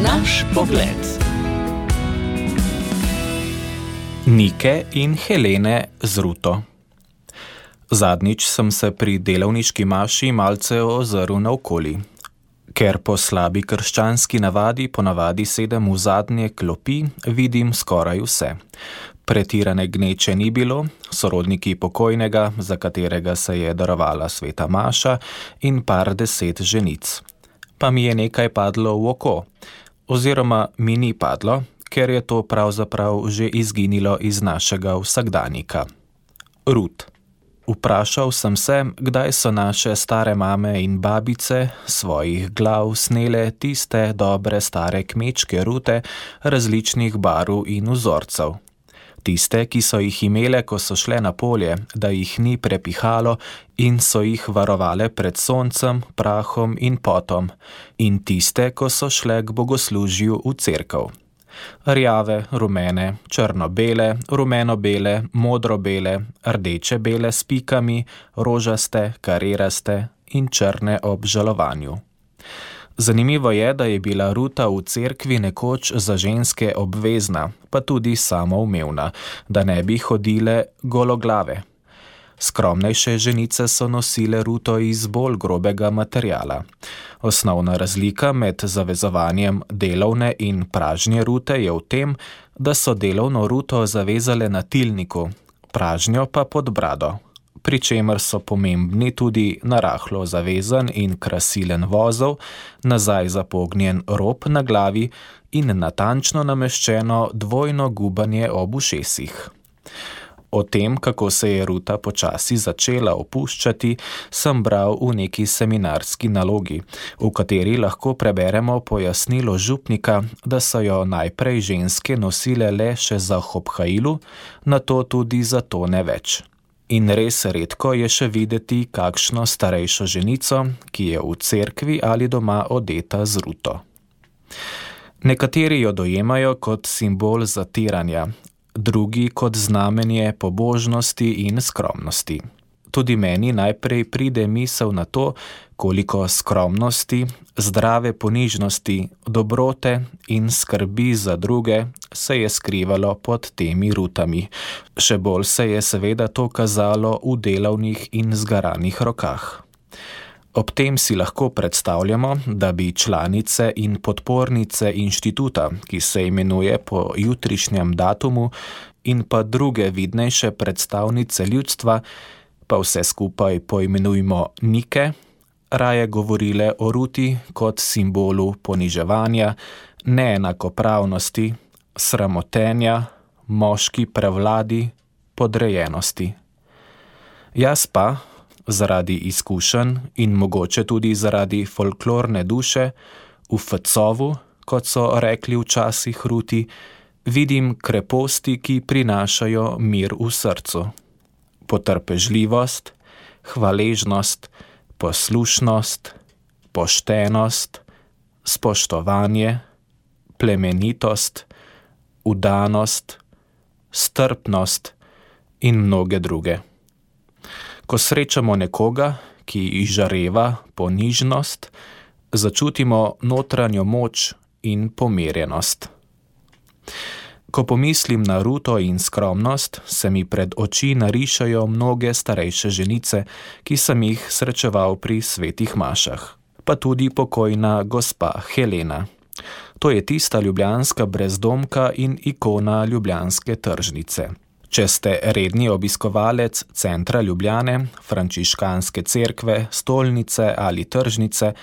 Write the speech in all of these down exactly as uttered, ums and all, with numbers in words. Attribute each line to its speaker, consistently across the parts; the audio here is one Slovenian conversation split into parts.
Speaker 1: Naš pogled.
Speaker 2: Nike in Helene z Ruto. Zadnjič sem se pri delavniški maši malce ozrl naokoli. Ker po slabi krščanski navadi ponavadi sedem v zadnje klopi, vidim skoraj vse. Pretirane gneče ni bilo, sorodniki pokojnega, za katerega se je darovala sveta maša, in par deset ženic. Pa mi je nekaj padlo v oko, oziroma mi ni padlo, ker je to pravzaprav že izginilo iz našega vsakdanika. Rut. Vprašal sem se, kdaj so naše stare mame in babice svojih glav snele tiste dobre stare kmečke rute različnih barv in vzorcev. Tiste, ki so jih imele, ko so šle na polje, da jih ni prepihalo in so jih varovale pred soncem, prahom in potom, in tiste, ko so šle k bogoslužju v cerkev. Rjave, rumene, črno-bele, rumeno-bele, modro-bele, rdeče-bele s pikami, rožaste, kariraste in črne ob žalovanju. Zanimivo je, da je bila ruta v cerkvi nekoč za ženske obvezna, pa tudi samoumevna, da ne bi hodile gologlave. Skromnejše ženice so nosile ruto iz bolj grobega materiala. Osnovna razlika med zavezovanjem delovne in pražnje rute je v tem, da so delovno ruto zavezale na tilniku, pražnjo pa pod brado, pri čemer so pomembni tudi narahlo zavezan in krasilen vozel, nazaj zapognjen rob na glavi in natančno nameščeno dvojno gubanje ob ušesih. O tem, kako se je ruta počasi začela opuščati, sem bral v neki seminarski nalogi, v kateri lahko preberemo pojasnilo župnika, da so jo najprej ženske nosile le še za hobhailu, nato tudi za to ne več. In res redko je še videti kakšno starejšo ženico, ki je v cerkvi ali doma odeta z ruto. Nekateri jo dojemajo kot simbol zatiranja, drugi kot znamenje pobožnosti in skromnosti. Tudi meni najprej pride misel na to, koliko skromnosti, zdrave ponižnosti, dobrote in skrbi za druge se je skrivalo pod temi rutami. Še bolj se je seveda to kazalo v delavnih in zgaranih rokah. Ob tem si lahko predstavljamo, da bi članice in podpornice inštituta, ki se imenuje po jutrišnjem datumu, in pa druge vidnejše predstavnice ljudstva, pa vse skupaj poimenujmo Nike, raje govorile o ruti kot simbolu poniževanja, neenakopravnosti, sramotenja, moški prevladi, podrejenosti. Jaz pa, zaradi izkušenj in mogoče tudi zaradi folklorne duše, v fecovu, kot so rekli včasih ruti, vidim kreposti, ki prinašajo mir v srcu. Potrpežljivost, hvaležnost, poslušnost, poštenost, spoštovanje, plemenitost, vdanost, strpnost in mnoge druge. Ko srečamo nekoga, ki izžareva ponižnost, začutimo notranjo moč in pomirjenost. Ko pomislim na ruto in skromnost, se mi pred oči narišajo mnoge starejše ženice, ki sem jih srečeval pri svetih mašah, pa tudi pokojna gospa Helena. To je tista ljubljanska brezdomka in ikona ljubljanske tržnice. Če ste redni obiskovalec centra Ljubljane, frančiškanske cerkve, stolnice ali tržnice,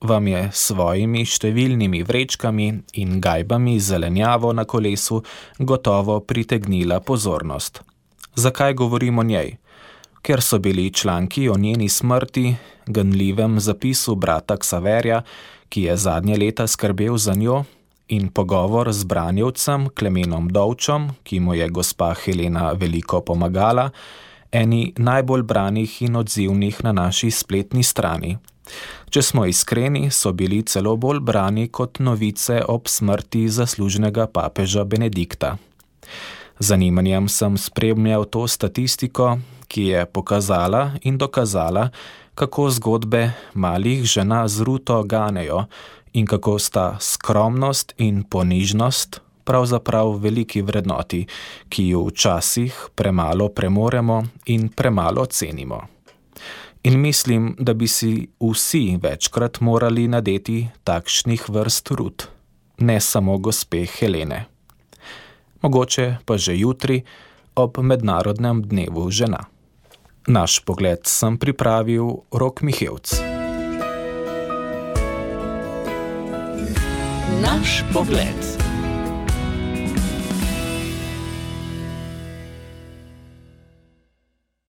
Speaker 2: vam je s svojimi številnimi vrečkami in gajbami zelenjavo na kolesu gotovo pritegnila pozornost. Zakaj govorim o njej? Ker so bili članki o njeni smrti, ganljivem zapisu brata Ksaverja, ki je zadnje leta skrbel za njo, in pogovor z branjevcem Klemenom Dovčom, ki mu je gospa Helena veliko pomagala, eni najbolj branih in odzivnih na naši spletni strani. Če smo iskreni, so bili celo bolj brani kot novice ob smrti zaslužnega papeža Benedikta. Zanimanjem sem spremljal to statistiko, ki je pokazala in dokazala, kako zgodbe malih žena z Ruto ganejo in kako sta skromnost in ponižnost pravzaprav veliki vrednoti, ki ju včasih premalo premoremo in premalo cenimo. In mislim, da bi si vsi večkrat morali nadeti takšnih vrst Rut, ne samo gospe Helene. Mogoče pa že jutri ob mednarodnem dnevu žena. Naš pogled sem pripravil Rok Mihevc.
Speaker 1: Naš pogled.